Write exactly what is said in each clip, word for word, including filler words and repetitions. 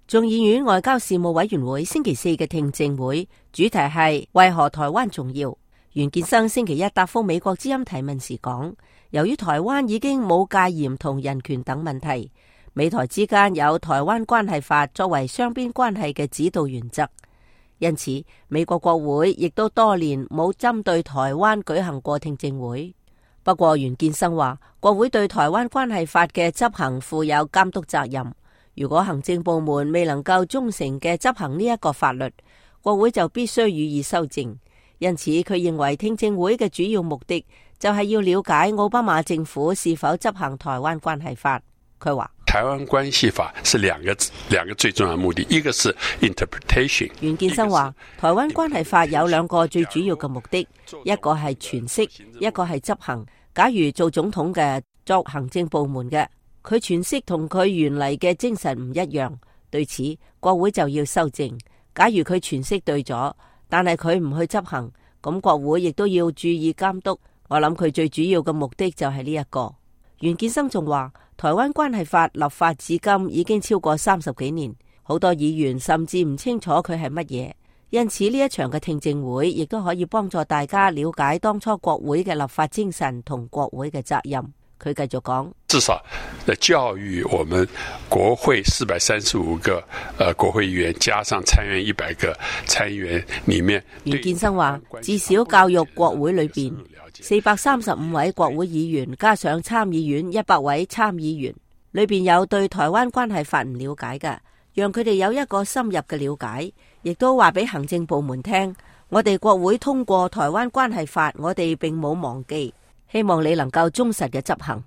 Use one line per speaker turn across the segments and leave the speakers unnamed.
眾議院外交事務委員會星期四嘅聽證會主題係為何台灣重要。袁建生星期一答覆美國之音提問時講，由於台灣已經冇戒嚴同人權等問題，美台之間有台灣關係法作為雙邊關係嘅指導原則，因此美國國會亦都多年冇針對台灣舉行過聽證會。不過袁建生話，國會對台灣關係法嘅執行負有監督責任。如果行政部門未能夠忠誠嘅執行呢一個法律，國會就必須予以修正。因此，佢認為聽證會嘅主要目的就係要了解奧巴馬政府是否執行台灣關係法。佢話：
台灣關係法是兩個兩個最重要的目的，一個是 interpretation。
袁建生話，台灣關係法有兩個最主要嘅目的，一個係詮釋，一個係執行。假如做總統嘅作行政部門嘅，佢詮釋同佢原嚟嘅精神唔一樣，對此國會就要修正。假如佢詮釋對咗，但係佢唔去執行，咁國會亦都要注意監督。我諗佢最主要嘅目的就係呢一個。袁建生仲話，台灣關係法立法至今已經超過三十幾年，好多議員甚至唔清楚佢係乜嘢，因此呢一場嘅聽證會亦都可以幫助大家了解當初國會嘅立法精神同國會嘅責任。佢繼續講，
至少教育我們國會四百三十五個呃國會議員，加上參院一百個參議員裏面，
袁建生話，至少教育國會裏邊四百三十五位國會議員，加上參議院一百位參議員，裏邊有對台灣關係法唔了解嘅，讓佢哋有一個深入嘅了解，亦都話俾行政部門聽，我哋國會通過台灣關係法，我哋並冇忘記。希望你能夠忠實嘅執行。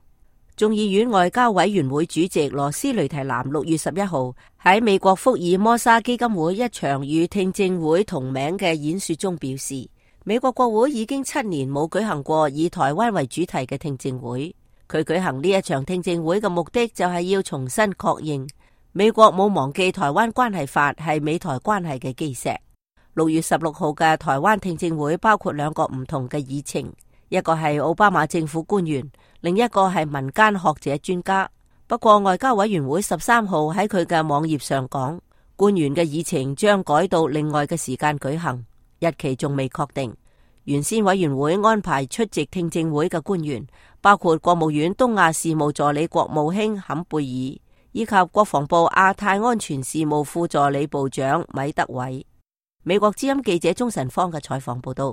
眾議院外交委員會主席羅斯雷提南六月十一號喺美國福爾摩沙基金會一場與聽證會同名嘅演說中表示，美國國會已經七年冇舉行過以台灣為主題嘅聽證會。佢舉行呢一場聽證會嘅目的就係要重新確認美國冇忘記台灣關係法係美台關係嘅基石。六月十六號嘅台灣聽證會包括兩個唔同嘅議程。一個係奧巴馬政府官員，另一個係民間學者專家。不過外交委員會十三號喺佢嘅網頁上講，官員嘅議程將改到另外嘅時間舉行，日期仲未確定。原先委員會安排出席聽證會嘅官員包括國務院東亞事務助理國務卿坎貝爾，以及國防部亞太安全事務副助理部長米德偉。美國之音記者鍾晨芳嘅採訪報道。